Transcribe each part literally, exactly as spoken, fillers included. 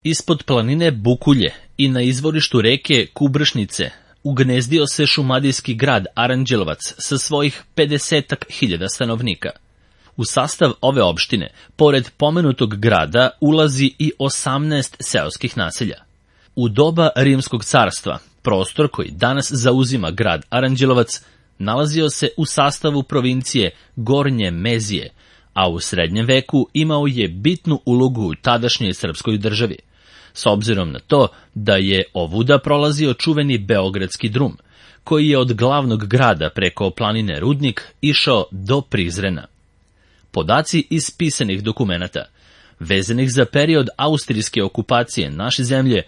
Ispod planine Bukulje i na izvorištu reke Kubršnice ugnezdio se šumadijski grad Aranđelovac sa svojih pedesetak hiljada stanovnika. U sastav ove opštine, pored pomenutog grada, ulazi i osamnaest seoskih naselja. U doba Rimskog carstva, prostor koji danas zauzima grad Aranđelovac nalazio se u sastavu provincije Gornje Mezije, a u srednjem veku imao je bitnu ulogu u tadašnjoj srpskoj državi, s obzirom na to da je ovuda prolazio čuveni Beogradski drum, koji je od glavnog grada preko planine Rudnik išao do Prizrena. Podaci iz pisanih dokumenata, vezanih za period austrijske okupacije naše zemlje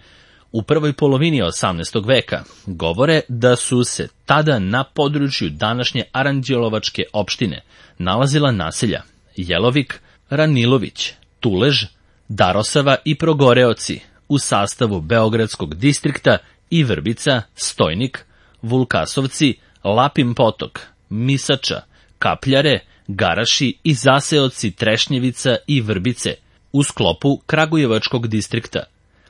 u prvoj polovini osamnaestog veka, govore da su se tada na području današnje Aranđelovačke opštine nalazila naselja Jelovik, Ranilović, Tulež, Darosava i Progoreoci u sastavu Beogradskog distrikta i Vrbica, Stojnik, Vulkasovci, Lapin potok, Misača, Kapljare, Garaši i zaseoci Trešnjevica i Vrbice u sklopu Kragujevačkog distrikta.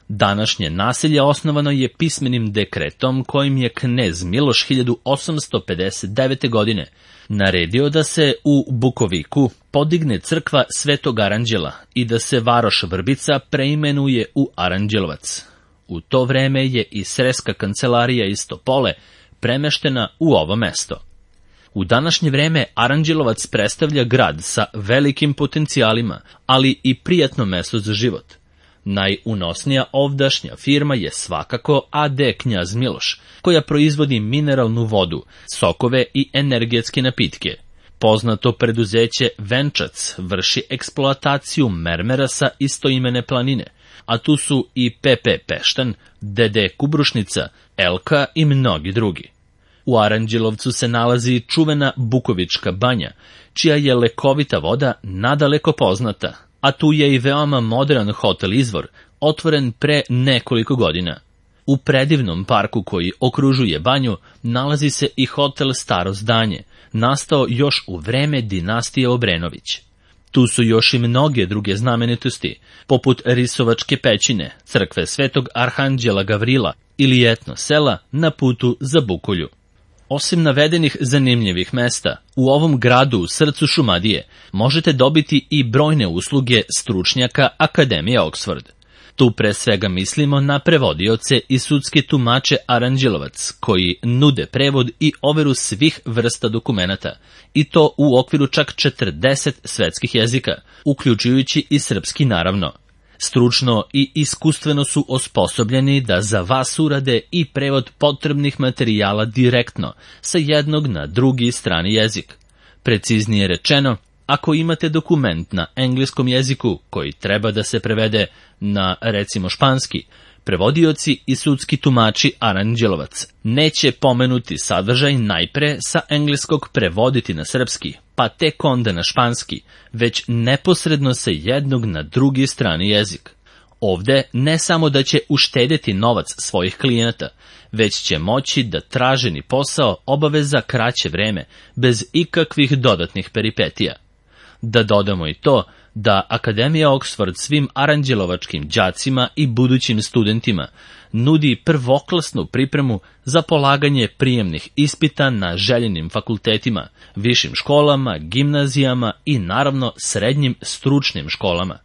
Današnje naselje osnovano je pismenim dekretom kojim je knez Miloš hiljadu osamsto pedeset devete. godine naredio da se u Bukoviku podigne crkva Svetog Aranđela i da se varoš Vrbica preimenuje u Aranđelovac. U to vreme je i sreska kancelarija iz Topole premeštena u ovo mesto. U današnje vreme Aranđelovac predstavlja grad sa velikim potencijalima, ali i prijatno mesto za život. Najunosnija ovdašnja firma je svakako A D Knjaz Miloš, koja proizvodi mineralnu vodu, sokove i energetske napitke. Poznato preduzeće Venčac vrši eksploataciju mermera sa istoimene planine, a tu su i P P Peštan, D D Kubrušnica, Elka i mnogi drugi. U Aranđelovcu se nalazi čuvena Bukovička banja, čija je lekovita voda nadaleko poznata, a tu je i veoma modern hotel Izvor, otvoren pre nekoliko godina. U predivnom parku koji okružuje banju nalazi se i hotel Staro zdanje, nastao još u vreme dinastije Obrenović. Tu su još i mnoge druge znamenitosti, poput Risovačke pećine, crkve Svetog Arhanđela Gavrila ili etno sela na putu za Bukulju. Osim navedenih zanimljivih mesta, u ovom gradu u srcu Šumadije možete dobiti i brojne usluge stručnjaka Akademije Oxford. Tu pre svega mislimo na prevodioce i sudske tumače Aranđelovac, koji nude prevod i overu svih vrsta dokumenata, i to u okviru čak četrdeset svetskih jezika, uključujući i srpski naravno. Stručno i iskustveno su osposobljeni da za vas urade i prevod potrebnih materijala direktno, sa jednog na drugi strani jezik. Preciznije rečeno, ako imate dokument na engleskom jeziku koji treba da se prevede na, recimo, španski, prevodioci i sudski tumači Aranđelovac neće pomenuti sadržaj najpre sa engleskog prevoditi na srpski, pa tek onda na španski, već neposredno sa jednog na drugi strani jezik. Ovde ne samo da će uštedeti novac svojih klijenata, već će moći da traženi posao obave za kraće vreme, bez ikakvih dodatnih peripetija. Da dodamo i to da Akademija Oxford svim aranđelovačkim đacima i budućim studentima nudi prvoklasnu pripremu za polaganje prijemnih ispita na željenim fakultetima, višim školama, gimnazijama i naravno srednjim stručnim školama.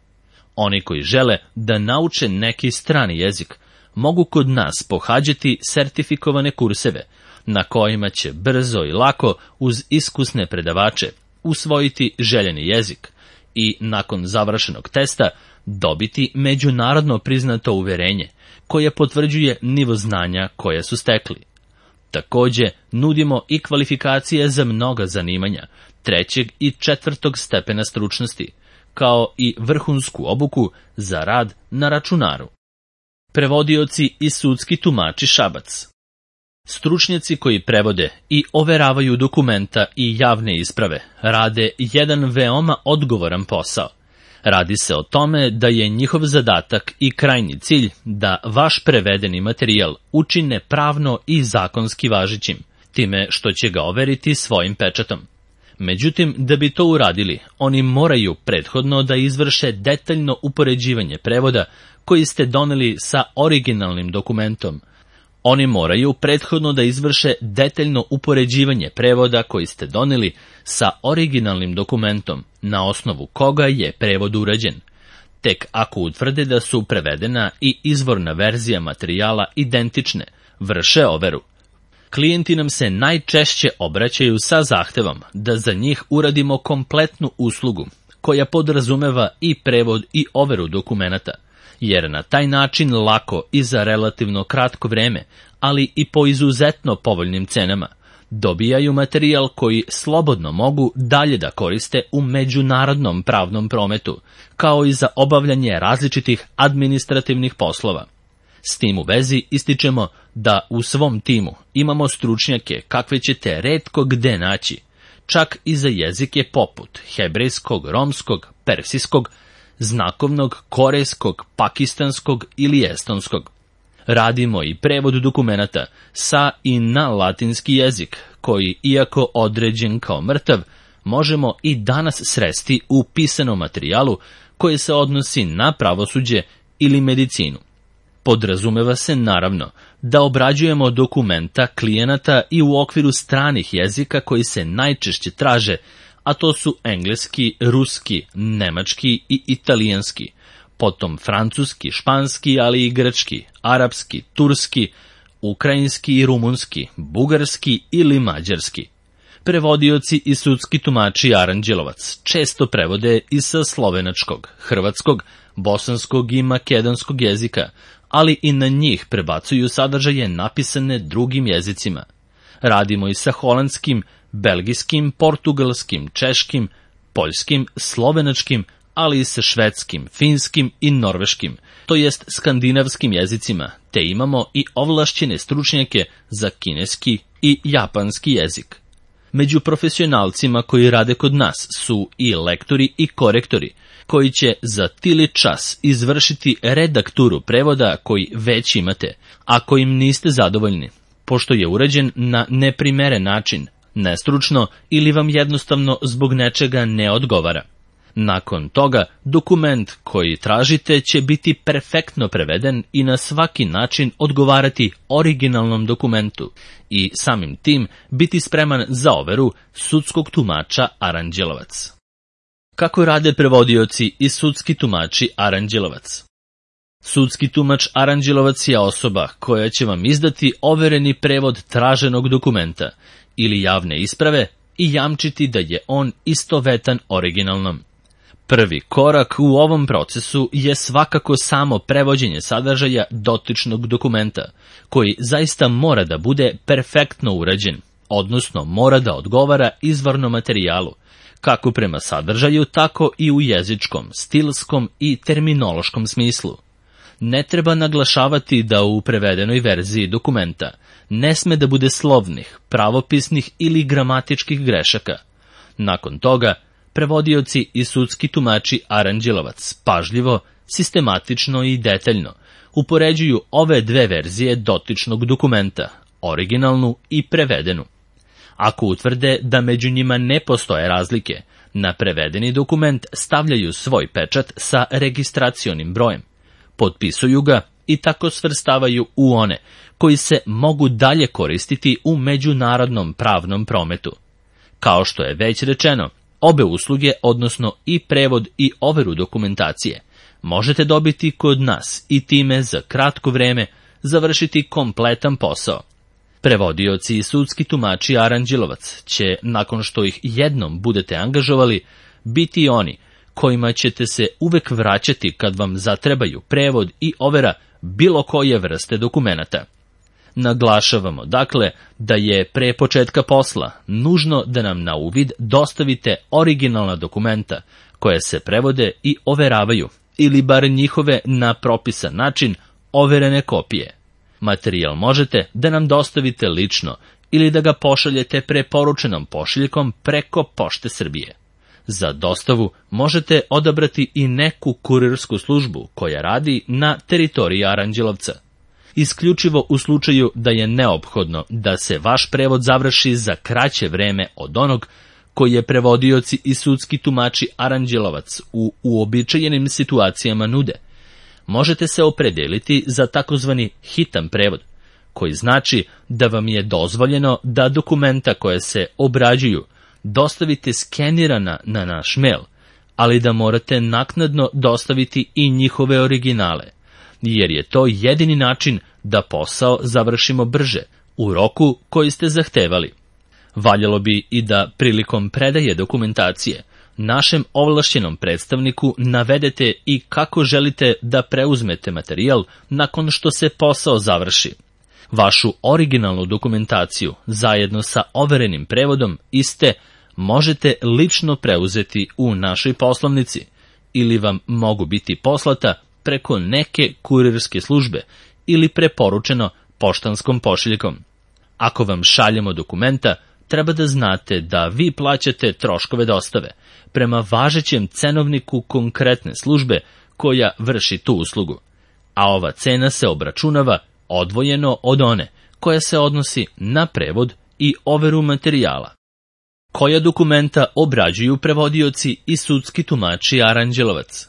Oni koji žele da nauče neki strani jezik mogu kod nas pohađati sertifikovane kurseve, na kojima će brzo i lako uz iskusne predavače usvojiti željeni jezik i nakon završenog testa dobiti međunarodno priznato uverenje koje potvrđuje nivo znanja koje su stekli. Takođe, nudimo i kvalifikacije za mnoga zanimanja trećeg i četvrtog stepena stručnosti, kao i vrhunsku obuku za rad na računaru. Prevodioci i sudski tumači Šabac. Stručnjaci koji prevode i overavaju dokumenta i javne isprave rade jedan veoma odgovoran posao. Radi se o tome da je njihov zadatak i krajnji cilj da vaš prevedeni materijal učine pravno i zakonski važećim, time što će ga overiti svojim pečatom. Međutim, da bi to uradili, oni moraju prethodno da izvrše detaljno upoređivanje prevoda koji ste doneli sa originalnim dokumentom. Oni moraju prethodno da izvrše detaljno upoređivanje prevoda koji ste doneli sa originalnim dokumentom, na osnovu koga je prevod urađen. Tek ako utvrde da su prevedena i izvorna verzija materijala identične, vrše overu. Klijenti nam se najčešće obraćaju sa zahtevom da za njih uradimo kompletnu uslugu, koja podrazumeva i prevod i overu dokumenata, jer na taj način lako i za relativno kratko vreme, ali i po izuzetno povoljnim cenama, dobijaju materijal koji slobodno mogu dalje da koriste u međunarodnom pravnom prometu, kao i za obavljanje različitih administrativnih poslova. S tim u vezi ističemo da u svom timu imamo stručnjake kakve ćete retko gde naći, čak i za jezike poput hebrejskog, romskog, persijskog, znakovnog, korejskog, pakistanskog ili estonskog. Radimo i prevod dokumenata sa i na latinski jezik, koji, iako određen kao mrtav, možemo i danas sresti u pisanom materijalu koji se odnosi na pravosuđe ili medicinu. Podrazumeva se, naravno, da obrađujemo dokumenta klijenata i u okviru stranih jezika koji se najčešće traže, a to su engleski, ruski, nemački i italijanski, potom francuski, španski, ali i grčki, arapski, turski, ukrajinski i rumunski, bugarski ili mađarski. Prevodioci i sudski tumači Aranđelovac često prevode i sa slovenačkog, hrvatskog, bosanskog i makedonskog jezika, ali i na njih prebacuju sadržaje napisane drugim jezicima. Radimo i sa holandskim, belgijskim, portugalskim, češkim, poljskim, slovenačkim, ali i sa švedskim, finskim i norveškim, to jest skandinavskim jezicima, te imamo i ovlašćene stručnjake za kineski i japanski jezik. Među profesionalcima koji rade kod nas su i lektori i korektori, koji će za tili čas izvršiti redakturu prevoda koji već imate, ako im niste zadovoljni, pošto je urađen na neprimeren način, nestručno ili vam jednostavno zbog nečega ne odgovara. Nakon toga, dokument koji tražite će biti perfektno preveden i na svaki način odgovarati originalnom dokumentu i samim tim biti spreman za overu sudskog tumača Aranđelovac. Kako rade prevodioci i sudski tumači Aranđelovac? Sudski tumač Aranđelovac je osoba koja će vam izdati overeni prevod traženog dokumenta ili javne isprave i jamčiti da je on istovetan originalnom. Prvi korak u ovom procesu je svakako samo prevođenje sadržaja dotičnog dokumenta, koji zaista mora da bude perfektno urađen, odnosno mora da odgovara izvornom materijalu, kako prema sadržaju, tako i u jezičkom, stilskom i terminološkom smislu. Ne treba naglašavati da u prevedenoj verziji dokumenta ne sme da bude slovnih, pravopisnih ili gramatičkih grešaka. Nakon toga, prevodioci i sudski tumači Aranđelovac pažljivo, sistematično i detaljno upoređuju ove dve verzije dotičnog dokumenta, originalnu i prevedenu. Ako utvrde da među njima ne postoje razlike, na prevedeni dokument stavljaju svoj pečat sa registracionim brojem, potpisuju ga i tako svrstavaju u one koji se mogu dalje koristiti u međunarodnom pravnom prometu. Kao što je već rečeno, obe usluge, odnosno i prevod i overu dokumentacije, možete dobiti kod nas i time za kratko vreme završiti kompletan posao. Prevodioci i sudski tumači Aranđelovac će, nakon što ih jednom budete angažovali, biti oni kojima ćete se uvek vraćati kad vam zatrebaju prevod i overa bilo koje vrste dokumenata. Naglašavamo, dakle, da je pre početka posla nužno da nam na uvid dostavite originalna dokumenta koje se prevode i overavaju, ili bar njihove na propisan način overene kopije. Materijal možete da nam dostavite lično ili da ga pošaljete preporučenom pošiljkom preko Pošte Srbije. Za dostavu možete odabrati i neku kurirsku službu koja radi na teritoriji Aranđelovca. Isključivo u slučaju da je neophodno da se vaš prevod završi za kraće vreme od onog koje prevodioci i sudski tumači Aranđelovac u uobičajenim situacijama nude, možete se opredeliti za takozvani hitan prevod, koji znači da vam je dozvoljeno da dokumenta koje se obrađuju dostavite skenirana na naš mail, ali da morate naknadno dostaviti i njihove originale, jer je to jedini način da posao završimo brže, u roku koji ste zahtevali. Valjalo bi i da prilikom predaje dokumentacije našem ovlašćenom predstavniku navedete i kako želite da preuzmete materijal nakon što se posao završi. Vašu originalnu dokumentaciju zajedno sa overenim prevodom iste možete lično preuzeti u našoj poslovnici ili vam mogu biti poslata preko neke kurirske službe ili preporučeno poštanskom pošiljkom. Ako vam šaljemo dokumenta, treba da znate da vi plaćate troškove dostave prema važećem cenovniku konkretne službe koja vrši tu uslugu, a ova cena se obračunava odvojeno od one koja se odnosi na prevod i overu materijala. Koja dokumenta obrađuju prevodioci i sudski tumači Aranđelovac?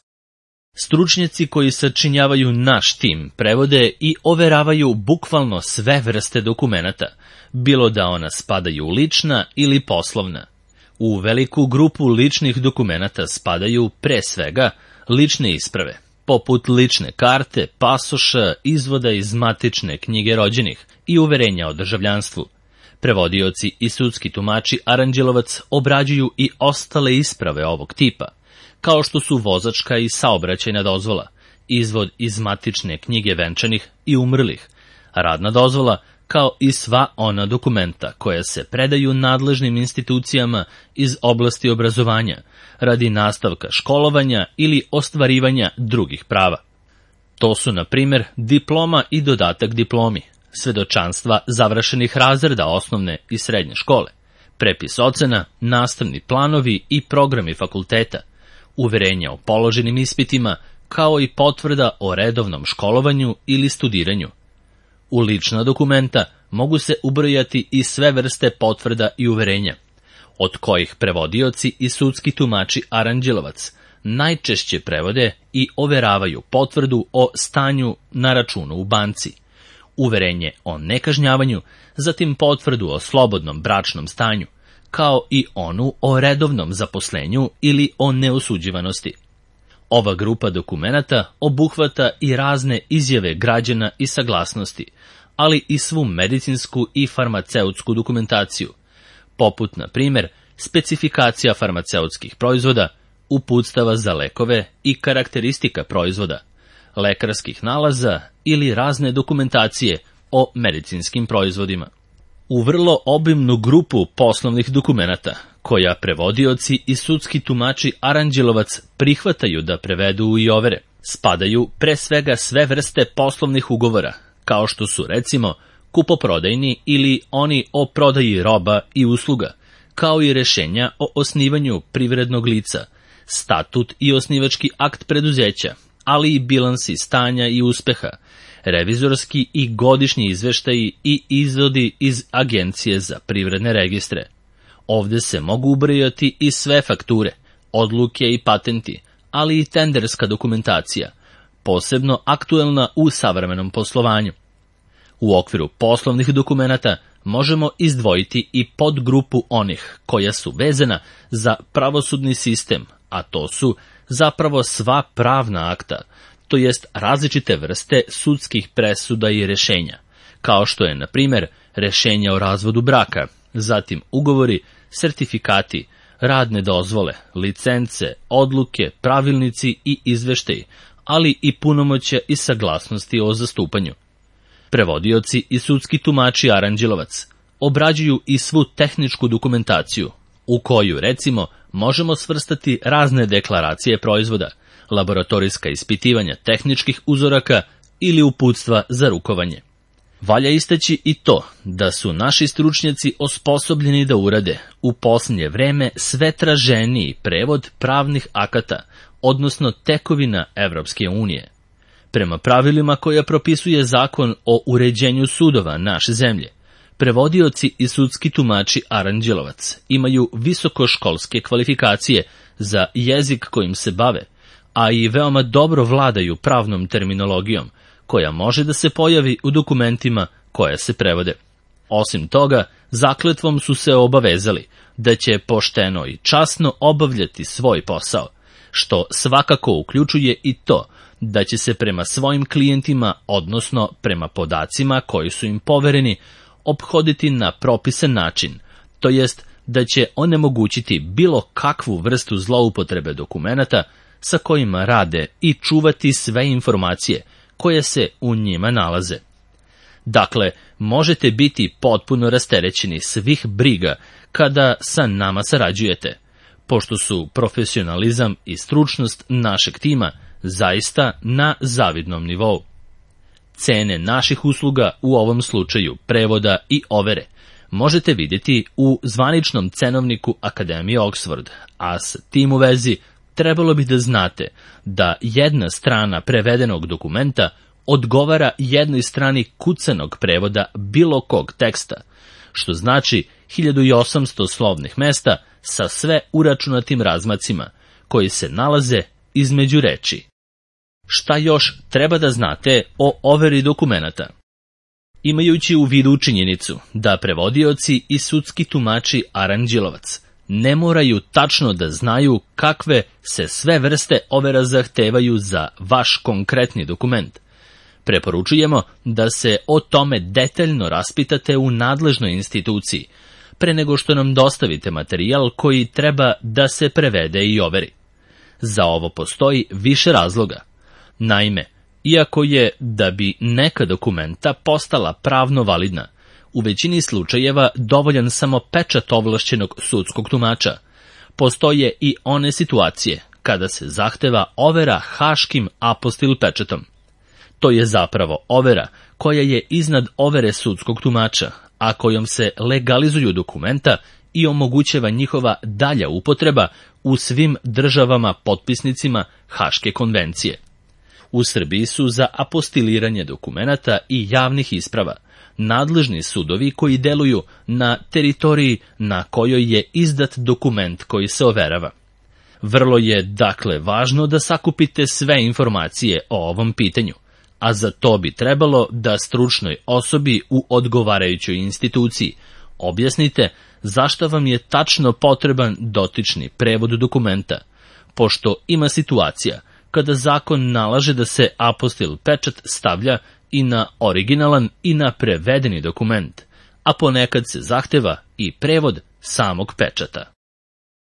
Stručnjaci koji sačinjavaju naš tim prevode i overavaju bukvalno sve vrste dokumenata, bilo da ona spadaju lična ili poslovna. U veliku grupu ličnih dokumenata spadaju pre svega lične isprave, poput lične karte, pasoša, izvoda iz matične knjige rođenih i uverenja o državljanstvu. Prevodioci i sudski tumači Aranđelovac obrađuju i ostale isprave ovog tipa, kao što su vozačka i saobraćajna dozvola, izvod iz matične knjige venčanih i umrlih, radna dozvola, kao i sva ona dokumenta koja se predaju nadležnim institucijama iz oblasti obrazovanja radi nastavka školovanja ili ostvarivanja drugih prava. To su, na primjer, diploma i dodatak diplomi, svedočanstva završenih razreda osnovne i srednje škole, prepis ocena, nastavni planovi i programi fakulteta, uverenja o položenim ispitima, kao i potvrda o redovnom školovanju ili studiranju. U lična dokumenta mogu se ubrojati i sve vrste potvrda i uverenja, od kojih prevodioci i sudski tumači Aranđelovac najčešće prevode i overavaju potvrdu o stanju na računu u banci, uverenje o nekažnjavanju, zatim potvrdu o slobodnom bračnom stanju, kao i onu o redovnom zaposlenju ili o neosuđivanosti. Ova grupa dokumenata obuhvata i razne izjave građana i saglasnosti, ali i svu medicinsku i farmaceutsku dokumentaciju, poput, na primjer, specifikacija farmaceutskih proizvoda, uputstava za lekove i karakteristika proizvoda, lekarskih nalaza ili razne dokumentacije o medicinskim proizvodima. U vrlo obimnu grupu poslovnih dokumenata, koja prevodioci i sudski tumači Aranđelovac prihvataju da prevedu i overe, spadaju pre svega sve vrste poslovnih ugovora, kao što su recimo kupoprodajni ili oni o prodaji roba i usluga, kao i rešenja o osnivanju privrednog lica, statut i osnivački akt preduzeća, ali i bilansi stanja i uspeha, revizorski i godišnji izveštaji i izvodi iz Agencije za privredne registre. Ovde se mogu ubrojati i sve fakture, odluke i patenti, ali i tenderska dokumentacija, posebno aktuelna u savremenom poslovanju. U okviru poslovnih dokumenata možemo izdvojiti i podgrupu onih koja su vezana za pravosudni sistem, a to su zapravo sva pravna akta, to jest različite vrste sudskih presuda i rešenja, kao što je, na primjer, rešenje o razvodu braka, zatim ugovori, sertifikati, radne dozvole, licence, odluke, pravilnici i izveštaji, ali i punomoćja i saglasnosti o zastupanju. Prevodioci i sudski tumači Aranđelovac obrađuju i svu tehničku dokumentaciju, u koju, recimo, možemo svrstati razne deklaracije proizvoda, laboratorijska ispitivanja tehničkih uzoraka ili uputstva za rukovanje. Valja istaći i to da su naši stručnjaci osposobljeni da urade u posljednje vreme sve traženiji prevod pravnih akata, odnosno tekovina Evropske unije. Prema pravilima koja propisuje zakon o uređenju sudova naše zemlje, Prevodioci i sudski tumači Aranđelovac imaju visokoškolske kvalifikacije za jezik kojim se bave, a i veoma dobro vladaju pravnom terminologijom, koja može da se pojavi u dokumentima koje se prevode. Osim toga, zakletvom su se obavezali da će pošteno i časno obavljati svoj posao, što svakako uključuje i to da će se prema svojim klijentima, odnosno prema podacima koji su im povereni, ophoditi na propisan način, to jest da će onemogućiti bilo kakvu vrstu zloupotrebe dokumenata sa kojima rade i čuvati sve informacije koje se u njima nalaze. Dakle, možete biti potpuno rasterećeni svih briga kada sa nama sarađujete, pošto su profesionalizam i stručnost našeg tima zaista na zavidnom nivou. Cene naših usluga u ovom slučaju prevoda i overe možete vidjeti u zvaničnom cenovniku Akademije Oxford, a s tim u vezi trebalo bi da znate da jedna strana prevedenog dokumenta odgovara jednoj strani kucanog prevoda bilo kog teksta, što znači hiljadu osamsto slovnih mesta sa sve uračunatim razmacima koji se nalaze između reči. Šta još treba da znate o overi dokumenata? Imajući u vidu činjenicu da prevodioci i sudski tumači Aranđelovac ne moraju tačno da znaju kakve se sve vrste overa zahtevaju za vaš konkretni dokument, preporučujemo da se o tome detaljno raspitate u nadležnoj instituciji, pre nego što nam dostavite materijal koji treba da se prevede i overi. Za ovo postoji više razloga. Naime, iako je da bi neka dokumenta postala pravno validna, u većini slučajeva dovoljan samo pečat ovlašćenog sudskog tumača, postoje i one situacije kada se zahteva overa haškim apostil pečatom. To je zapravo overa koja je iznad overe sudskog tumača, a kojom se legalizuju dokumenta i omogućava njihova dalja upotreba u svim državama potpisnicima Haške konvencije. U Srbiji su za apostiliranje dokumenata i javnih isprava nadležni sudovi koji deluju na teritoriji na kojoj je izdat dokument koji se overava. Vrlo je, dakle, važno da sakupite sve informacije o ovom pitanju, a za to bi trebalo da stručnoj osobi u odgovarajućoj instituciji objasnite zašto vam je tačno potreban dotični prevod dokumenta, pošto ima situacija kada zakon nalaže da se apostil pečat stavlja i na originalan i na prevedeni dokument, a ponekad se zahteva i prevod samog pečata.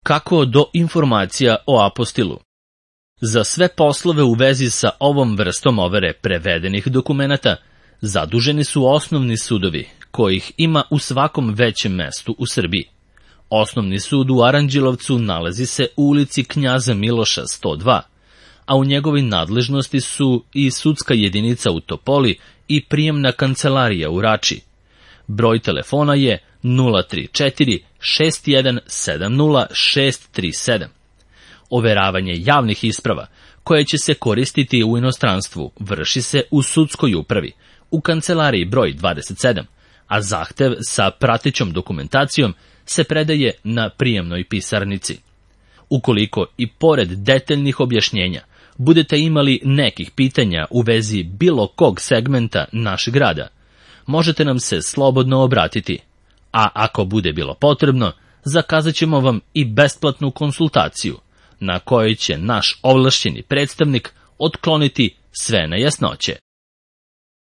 Kako do informacija o apostilu? Za sve poslove u vezi sa ovom vrstom overe prevedenih dokumenata zaduženi su osnovni sudovi, kojih ima u svakom većem mestu u Srbiji. Osnovni sud u Aranđelovcu nalazi se u ulici Knjaza Miloša sto dva, a u njegovoj nadležnosti su i sudska jedinica u Topoli i prijemna kancelarija u Rači. Broj telefona je nula tri četiri šest jedan sedam nula šest tri sedam. Overavanje javnih isprava, koje će se koristiti u inostranstvu, vrši se u sudskoj upravi, u kancelariji broj dvadeset sedam, a zahtev sa pratećom dokumentacijom se predaje na prijemnoj pisarnici. Ukoliko i pored detaljnih objašnjenja budete imali nekih pitanja u vezi bilo kog segmenta našeg rada, možete nam se slobodno obratiti, a ako bude bilo potrebno, zakazat ćemo vam i besplatnu konsultaciju, na kojoj će naš ovlašćeni predstavnik otkloniti sve nejasnoće.